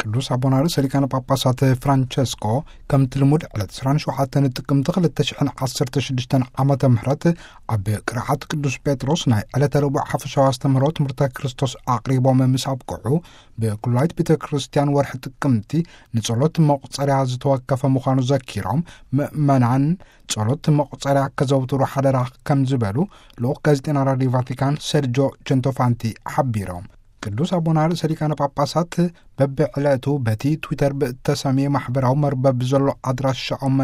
ቅዱስ ኣቦና ርእሰ ሊቃነ ጳጳሳት ፍራንቸስኮ፣ ከምቲ ልሙድ ዕለት ዕስራን ሸውዓተን ጥቅምቲ ክልተ ሽሕን ዓሰርተ ሽዱሽተን ዓመተ ምህረት ኣብ ቅርዓት ቅዱስ ጴጥሮስ ናይ ዕለተ ረቡዕ ሓፈሻዊ ኣስተምህሮ ትምህርተ ክርስቶስ ኣቕሪቦም ምስ ኣብቅዑ፣ ብኩላይት ቤተ ክርስቲያን ወርሒ ጥቅምቲ ንጸሎት መቑጸርያ ዝተወከፈ ምዃኑ ዘኪሮም፣ ምእመናን ጸሎት መቑጸርያ ከዘውትሩ ሓደራ ከም ዝበሉ ልኡኽ ጋዜጠና ራዲዮ ቫቲካን ሰርጆ ቸንቶፋንቲ ሓቢሮም። ቅዱስ ኣቦና ርእሰ ሊቃነ ጳጳሳት በብዕለቱ በቲ ትዊተር ብእተሰምየ ማሕበራዊ መርበብ ዘሎ ኣድራሻኦም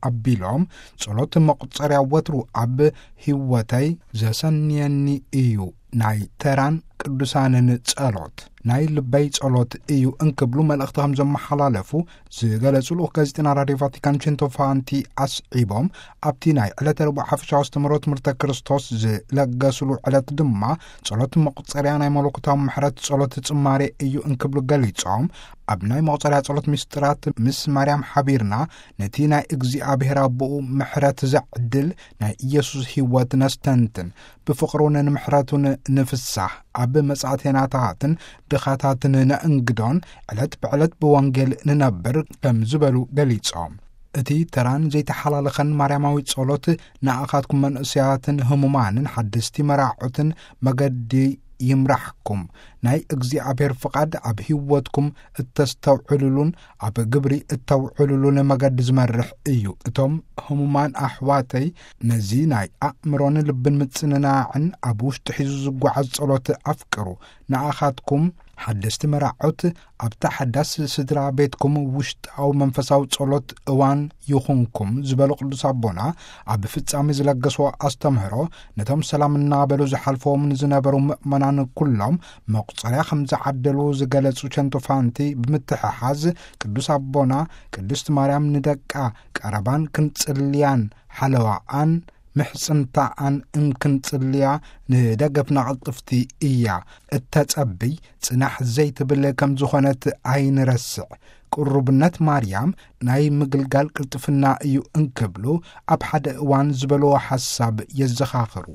ኣቢሎም፣ ጸሎት መቑጸርያ ወትሩ ኣብ ህይወተይ ዘሰንየኒ እዩ፣ ናይ ተራን ቅዱሳንን ጸሎት ናይ ልበይ ጸሎት እዩ እንክብሉ መልእኽቲ ከም ዘመሓላለፉ ዝገለጹ ልኡኽ ጋዜጠና ራዲዮ ቫቲካን ቸንቶፋንቲ ኣስዒቦም፣ ኣብቲ ናይ ዕለተ ረቡዕ ሓፈሻዊ ኣስተምህሮ ትምህርተ ክርስቶስ ዝለገሱሉ ዕለት ድማ ጸሎት መቑጸርያ ናይ መለኮታዊ ምሕረት ጸሎት ጽማሬ እዩ እንክብሉ ገሊጾም፣ ኣብ ናይ መቑጸርያ ጸሎት ምስጢራት ምስ ማርያም ሓቢርና ነቲ ናይ እግዚኣብሔር ኣቦኡ ምሕረት ዘዕድል ናይ ኢየሱስ ህይወት ነስተንትን፣ ብፍቕሩን ንምሕረቱን ንፍሳህ፣ ኣብ መጻእቴናታትን ድኻታትን ነእንግዶን ዕለት ብዕለት ብወንጌል ንነብር ከም ዝበሉ ገሊጾም። እቲ ተራን ዘይተሓላለኸን ማርያማዊ ጸሎት ንኣኻትኩም መንእሰያትን ህሙማንን ሓደስቲ መራዖትን መገዲ ይምራሕኩም። ናይ እግዚኣብሔር ፍቓድ ኣብ ህይወትኩም እተስተውዕሉሉን ኣብ ግብሪ እተውዕሉሉን መገዲ ዝመርሕ እዩ። እቶም ህሙማን ኣሕዋተይ ነዚ ናይ ኣእምሮን ልብን ምጽንናዕን ኣብ ውሽጢ ሒዙ ዝጓዓዝ ጸሎት ኣፍቅሩ። ንኣኻትኩም ሓደስቲ መራዖት ኣብታ ሓዳስ ስድራ ቤትኩም ውሽጣዊ መንፈሳዊ ጸሎት እዋን ይኹንኩም ዝበሉ ቅዱስ ኣቦና፣ ኣብ ፍጻሜ ዝለገስዎ ኣስተምህሮ ነቶም ሰላም እናበሉ ዝሓልፈዎም ንዝነበሩ ምእመናን ኩሎም መቑጸርያ ከም ዝዓደሉ ዝገለጹ ቸንቶፋንቲ ብምትሕሓዝ፣ ቅዱስ ኣቦና ቅድስት ማርያም ንደቃ ቀረባን ክንጽልያን ሓለዋኣን ምሕጽንታኣን እንክንጽልያ ንደገፍና ቅልጥፍቲ እያ እተጸብይ፣ ጽናሕ ዘይትብል ከም ዝኾነት ኣይንረስዕ። ቅሩብነት ማርያም ናይ ምግልጋል ቅልጥፍና እዩ እንክብሉ ኣብ ሓደ እዋን ዝበልዎ ሓሳብ የዘኻኽሩ።